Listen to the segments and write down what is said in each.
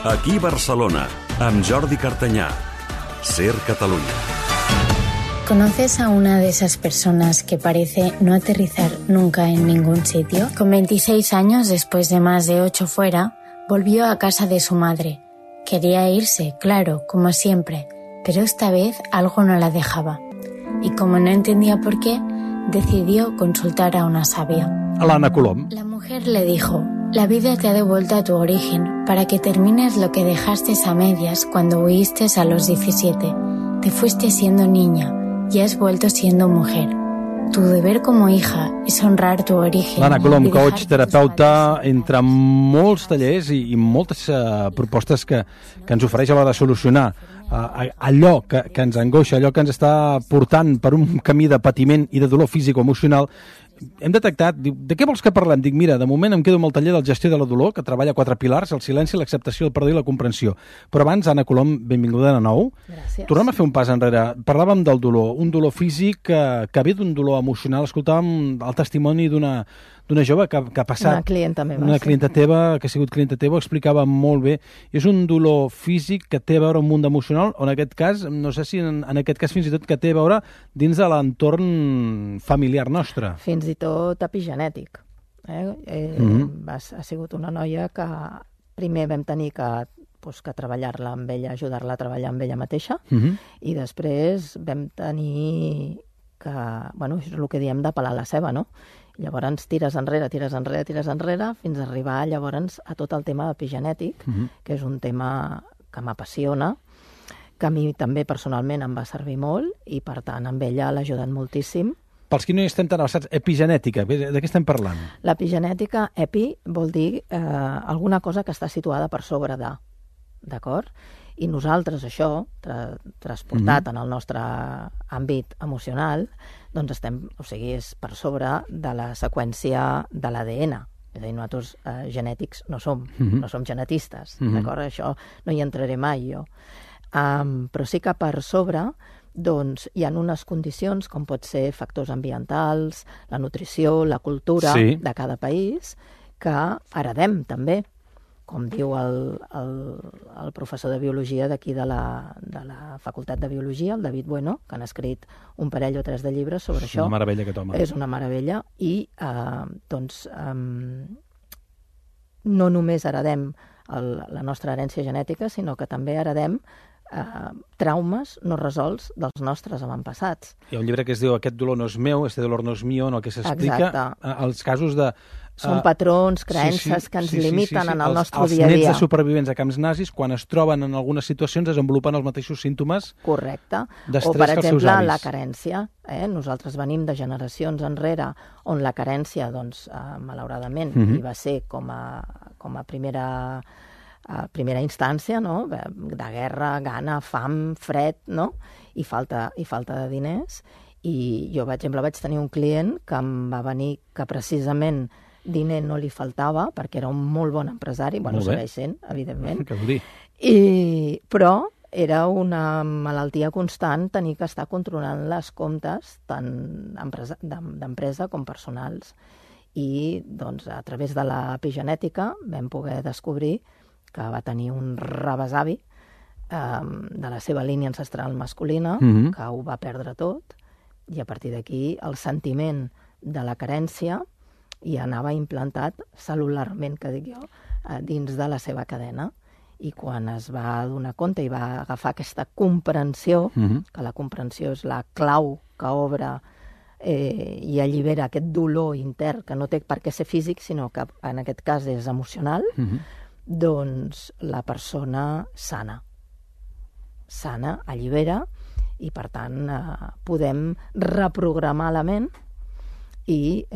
Aquí Barcelona, amb Jordi Cartanyà. Ser Catalunya. ¿Conoces a una de esas personas que parece no aterrizar nunca en ningún sitio? Con 26 años, después de más de 8 fuera, volvió a casa de su madre. Quería irse, claro, como siempre, pero esta vez algo no la dejaba. Y como no entendía por qué, decidió consultar a una sabia. L'Anna Colom. La mujer le dijo: la vida te ha devuelto a tu origen para que termines lo que dejaste a medias cuando huiste a los 17. Te fuiste siendo niña y has vuelto siendo mujer. Tu deber como hija es honrar tu origen. L'Anna Colom, coach, terapeuta, entre molts tallers i moltes propostes que ens ofereix a l'hora de solucionar allò que ens angoixa, allò que ens està portant per un camí de patiment i de dolor físic o emocional. Hem detectat, diu, de què vols que parlem? Dic, mira, de moment em quedo amb el taller del gestió de la dolor, que treballa 4 pilars: el silenci, l'acceptació, el perdó i la comprensió. Però abans, Anna Colom, benvinguda de nou. Gràcies. Tornem a fer un pas enrere. Parlàvem del dolor, un dolor físic que ve d'un dolor emocional. Escoltàvem el testimoni d'una jove que ha passat... Una clienta meva. Una clienta teva, que ha sigut clienta teva, ho explicava molt bé. És un dolor físic que té a veure amb un munt emocional, o en aquest cas, no sé si en aquest cas fins i tot que té a veure dins de l'entorn familiar nostre. Fins i tot epigenètic. Ha sigut una noia que primer vam tenir que treballar-la amb ella, ajudar-la a treballar amb ella mateixa, i després vam tenir que, bueno, és el que diem de pelar la ceba, no? Llavors tires enrere, fins a arribar llavors a tot el tema epigenètic, que és un tema que m'apassiona, que a mi també personalment em va servir molt, i per tant amb ella l'ha ajudat moltíssim. Pels qui no hi estem tan avançats, epigenètica, de què estem parlant? L'epigenètica, epi, vol dir alguna cosa que està situada per sobre de, d'acord? I nosaltres això, transportat en el nostre àmbit emocional, doncs estem, o sigui, és per sobre de la seqüència de l'ADN. És a dir, nosaltres genètics no som genetistes, d'acord? Això no hi entraré mai jo. Però sí que per sobre doncs hi ha unes condicions, com pot ser factors ambientals, la nutrició, la cultura de cada país, que heredem també, com diu el professor de biologia d'aquí de la Facultat de Biologia, el David Bueno, que han escrit un parell o 3 de llibres sobre això. És una meravella aquest home. És una meravella, i no només heredem la nostra herència genètica, sinó que també heredem traumes no resolts dels nostres avantpassats. Hi ha un llibre que es diu Aquest dolor no és meu, este dolor no és mío, en el que s'explica els casos de... Són patrons, creences que ens limiten en el nostre dia a dia. Els nets de supervivents a camps nazis, quan es troben en algunes situacions, desenvolupen els mateixos símptomes d'estrès que els seus avis. O, per exemple, la carència. Nosaltres venim de generacions enrere on la carència, doncs, malauradament, hi va ser com a primera instància, no? De guerra, gana, fam, fred, no? I falta de diners. I jo, per exemple, vaig tenir un client que em va venir que precisament diner no li faltava, perquè era un molt bon empresari, bueno, segueix sent, evidentment. Què vol dir? Però era una malaltia constant tenir que estar controlant les comptes tant d'empresa com personals. I, doncs, a través de l'epigenètica vam poder descobrir que va tenir un rebesavi de la seva línia ancestral masculina, que ho va perdre tot, i a partir d'aquí el sentiment de la carència i anava implantat cel·lularment, que dic jo, dins de la seva cadena. I quan es va donar compte i va agafar aquesta comprensió, que la comprensió és la clau que obre i allibera aquest dolor intern, que no té per què ser físic, sinó que en aquest cas és emocional, doncs la persona sana, allibera, i per tant podem reprogramar la ment i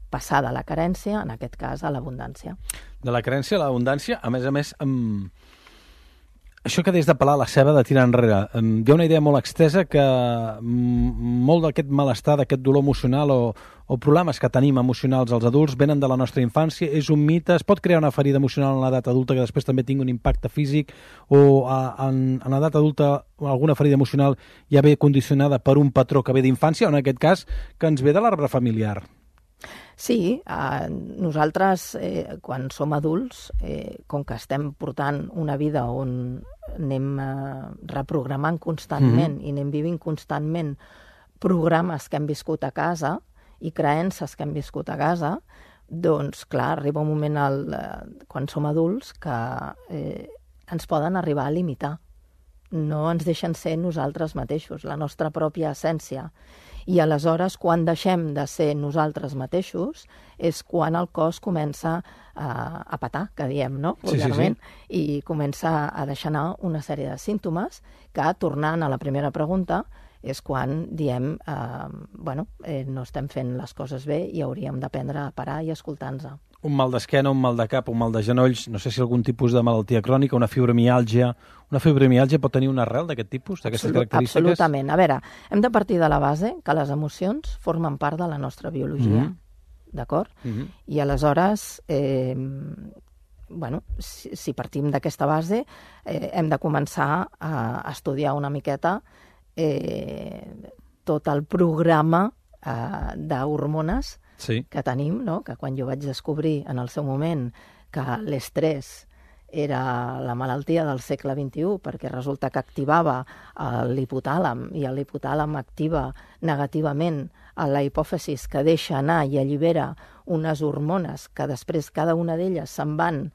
passar de la carència, en aquest cas, a l'abundància. De la carència a l'abundància, a més, això que des de pelar la ceba, de tirar enrere, hi ha una idea molt extesa que molt d'aquest malestar, d'aquest dolor emocional o problemes que tenim emocionals als adults venen de la nostra infància, és un mite, es pot crear una ferida emocional en l'edat adulta que després també tingui un impacte físic, o en l'edat adulta alguna ferida emocional ja ve condicionada per un patró que ve d'infància, o en aquest cas que ens ve de l'arbre familiar. Sí, nosaltres, quan som adults, com que estem portant una vida on anem reprogramant constantment i anem vivint constantment programes que hem viscut a casa i creences que hem viscut a casa, doncs, clar, arriba un moment quan som adults que ens poden arribar a limitar. No ens deixen ser nosaltres mateixos, la nostra pròpia essència. I aleshores, quan deixem de ser nosaltres mateixos, és quan el cos comença a petar, que diem, no? Vulgarment, i comença a deixar anar una sèrie de símptomes que, tornant a la primera pregunta, és quan diem, no estem fent les coses bé i hauríem d'aprendre a parar i escoltar-nos. Un mal d'esquena, un mal de cap, un mal de genolls, no sé si algun tipus de malaltia crònica, una fibromiàlgia. Una fibromiàlgia pot tenir una arrel d'aquest tipus, d'aquestes característiques? Absolutament. A veure, hem de partir de la base que les emocions formen part de la nostra biologia, d'acord? I aleshores, si partim d'aquesta base, hem de començar a estudiar una miqueta tot el programa d'hormones que tenim, no? Que quan jo vaig descobrir en el seu moment que l'estrès era la malaltia del segle XXI, perquè resulta que activava l'hipotàlam, i l'hipotàlam activa negativament a la hipòfisis, que deixa anar i allibera unes hormones que després cada una d'elles se'n van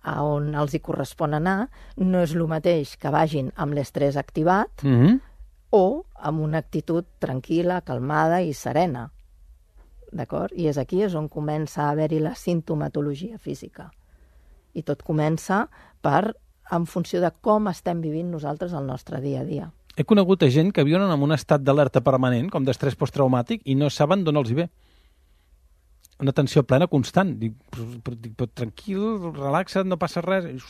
a on els hi correspon anar, no és el mateix que vagin amb l'estrès activat o amb una actitud tranquil·la, calmada i serena. D'acord? I és aquí on comença a haver-hi la sintomatologia física. I tot comença en funció de com estem vivint nosaltres el nostre dia a dia. He conegut gent que viuen en un estat d'alerta permanent, com d'estrès posttraumàtic, i no saben d'on els hi ve. Una tensió plena constant. Dic, però tranquil, relaxa't, no passa res.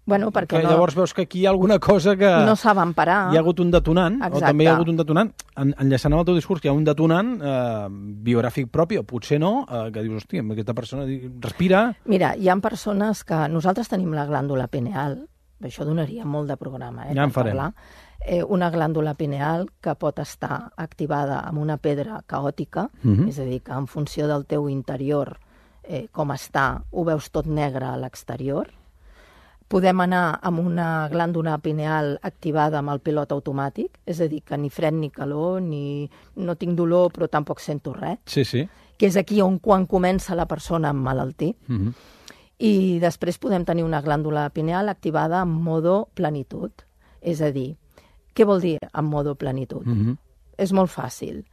Bueno, perquè llavors veus que aquí hi ha alguna cosa que... No saben parar. Hi ha hagut un detonant, exacte. O també hi ha hagut un detonant, enllaçant amb el teu discurs, que hi ha un detonant biogràfic propi, o potser no, que dius, hòstia, aquesta persona respira... Mira, hi ha persones que... Nosaltres tenim la glàndula pineal, això donaria molt de programa, ja en farem. Una glàndula pineal que pot estar activada amb una pedra caòtica, és a dir, que en funció del teu interior, com està, ho veus tot negre a l'exterior. Podem anar amb una glàndula pineal activada amb el pilot automàtic, és a dir, que ni fred ni calor, ni no tinc dolor però tampoc sento res. Sí. Que és aquí on quan comença la persona a emmalaltir. I després podem tenir una glàndula pineal activada en modo plenitud. És a dir, què vol dir en modo plenitud? És molt fàcil.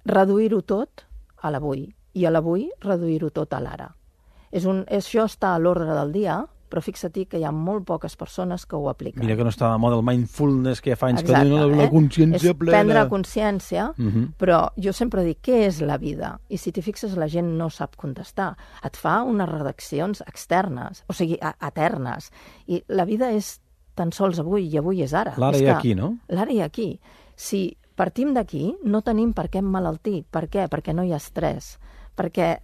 Reduir-ho tot a l'avui i a l'avui reduir-ho tot a l'ara. Això està a l'ordre del dia, però fixa't que hi ha molt poques persones que ho apliquen. Mira que no està de moda el mindfulness, que ja fa anys que diuen la consciència plena. És prendre consciència, però jo sempre dic, què és la vida? I si t'hi fixes, la gent no sap contestar. Et fa unes redaccions externes, o sigui, eternes. I la vida és tan sols avui, i avui és ara. L'ara i aquí, no? L'ara i aquí. Si partim d'aquí, no tenim per què emmalaltir. Per què? Perquè no hi ha estrès. Perquè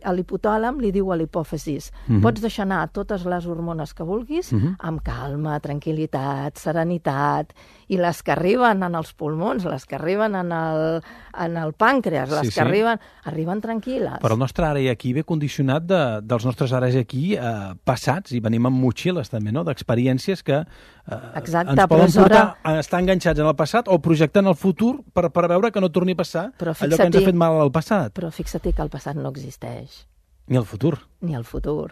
l'hipotàlam li diu a l'hipòfisis, pots deixar anar totes les hormones que vulguis amb calma, tranquil·litat, serenitat, i les que arriben en els pulmons, les que arriben en el pàncreas, les que arriben tranquil·les. Però el nostre ara i aquí ve condicionat dels nostres ara i aquí passats, i venim amb motxilles també, no?, d'experiències que ens poden portar a estar enganxats en el passat o projectar en el futur per veure que no torni a passar allò que ens ha fet mal al passat. Però fixa't que el passat no existeix. Ni el futur. Ni el futur.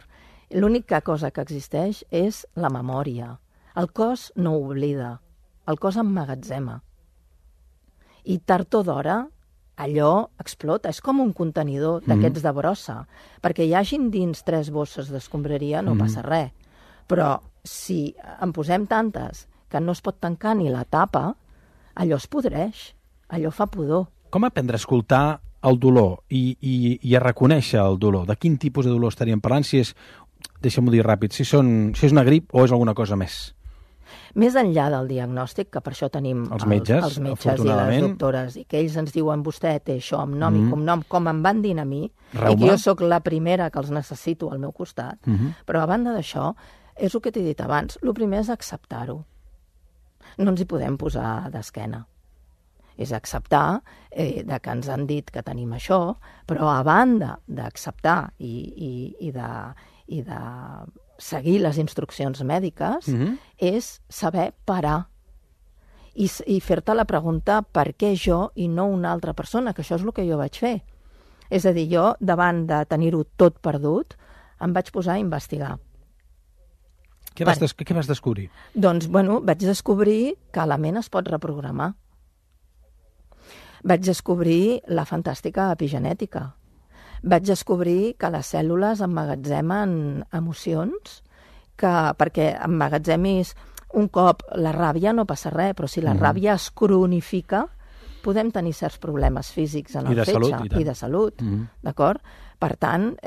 L'única cosa que existeix és la memòria. El cos no oblida, el cos emmagatzema. I tard o d'hora allò explota, és com un contenidor d'aquests de brossa. Perquè hi hagin dins 3 bosses d'escombraria no passa res. Però si en posem tantes que no es pot tancar ni la tapa, allò es podreix, allò fa pudor. Com aprendre a escoltar el dolor i a reconèixer el dolor? De quin tipus de dolor estaríem parlant? Si és, deixa'm-ho dir ràpid, si és una grip o és alguna cosa més? Més enllà del diagnòstic, que per això tenim els metges i les doctores, i que ells ens diuen, vostè té això amb nom i cognom, com em van dir a mi, i que jo sóc la primera que els necessito al meu costat. Però a banda d'això, és el que t'he dit abans, el primer és acceptar-ho. No ens hi podem posar d'esquena. és acceptar de que ens han dit que tenim això, però a banda d'acceptar i de seguir les instruccions mèdiques, és saber parar i fer-te la pregunta per què jo i no una altra persona, que això és el que jo vaig fer. És a dir, jo, davant de tenir-ho tot perdut, em vaig posar a investigar. Què vas descobrir? Doncs, vaig descobrir que la ment es pot reprogramar. Vaig descobrir la fantàstica epigenètica. Vaig descobrir que les cèl·lules emmagatzemen emocions, perquè emmagatzemis un cop la ràbia no passa res, però si la ràbia es cronifica, podem tenir certs problemes físics en el fetge i de salut, d'acord? Per tant,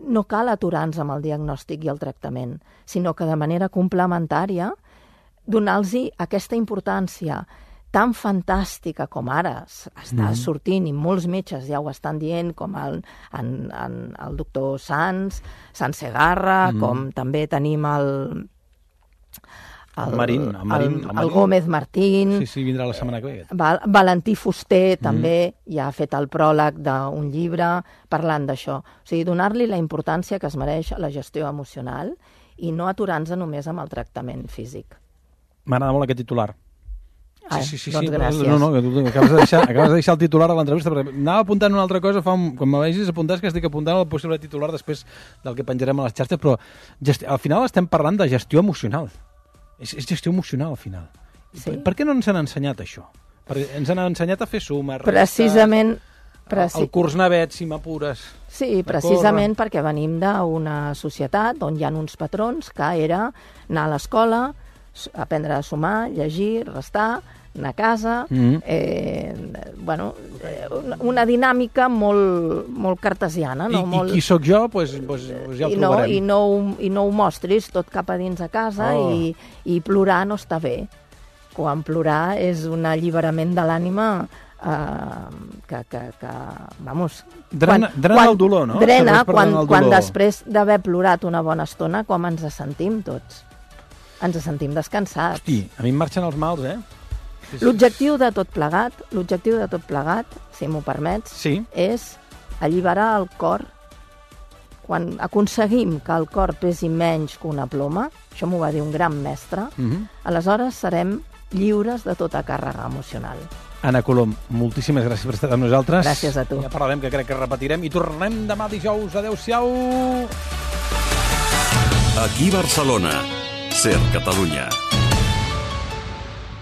no cal aturar-nos amb el diagnòstic i el tractament, sinó que de manera complementària donar-los aquesta importància tan fantàstica com ara està sortint, i molts metges ja ho estan dient, com el doctor Sanz Segarra, com també tenim el Gómez Martín. Sí, vindrà la setmana que ve. Valentí Fuster també ja ha fet el pròleg d'un llibre parlant d'això. O sigui, donar-li la importància que es mereix a la gestió emocional i no aturar-nos només amb el tractament físic. M'agrada molt aquest titular. Sí. Doncs gràcies. No, que tu acabes de deixar el titular a l'entrevista, perquè anava apuntant una altra cosa, quan me vegis apuntar, que estic apuntant el possible titular després del que penjarem a les xarxes, però al final estem parlant de gestió emocional. És gestió emocional, al final. Sí. Per què no ens han ensenyat això? Perquè ens han ensenyat a fer sumes, precisament, el curs navet, si m'apures. Sí, precisament perquè venim d'una societat on hi ha uns patrons que era anar a l'escola, aprendre a sumar, llegir, restar, anar a casa, una dinàmica molt cartesiana. No? I qui sóc jo, doncs ja ho trobarem. I no ho mostris tot cap a dins a casa i plorar no està bé. Quan plorar és un alliberament de l'ànima drena el dolor, no? Drena, quan després d'haver plorat una bona estona, com ens sentim tots. Ens sentim descansats. Hosti, a mi em marxen els mals, L'objectiu de tot plegat, si m'ho permets, és alliberar el cor. Quan aconseguim que el cor pesi menys que una ploma, això m'ho va dir un gran mestre, aleshores serem lliures de tota càrrega emocional. Anna Colom, moltíssimes gràcies per estar amb nosaltres. Gràcies a tu. Ja parlarem, que crec que repetirem, i tornem demà dijous. Adéu-siau! Aquí Barcelona, Ser Catalunya.